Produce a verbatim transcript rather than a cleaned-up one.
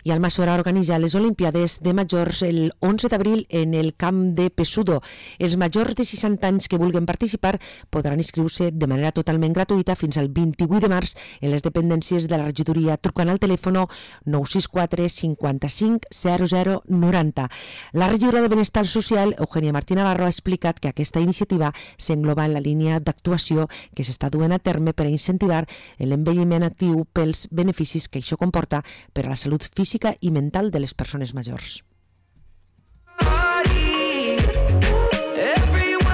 I Almassora organitza les Olimpiades de Majors el onze d'abril en el camp de Pessudo. Els majors de seixanta anys que vulguin participar podran inscriure-se de manera totalment gratuïta fins al vint-i-vuit de març en les dependències de la regidoria trucant al telèfon nou sis quatre cinquanta-cinc zero zero noranta. La regidora de Benestar Social, Eugènia Martí Navarro, ha explicat que aquesta iniciativa s'engloba en la línia d'actuació que s'està duent a terme per a incentivar l'envelliment actiu pels beneficis que això comporta per a la salut física i mental de les persones majors.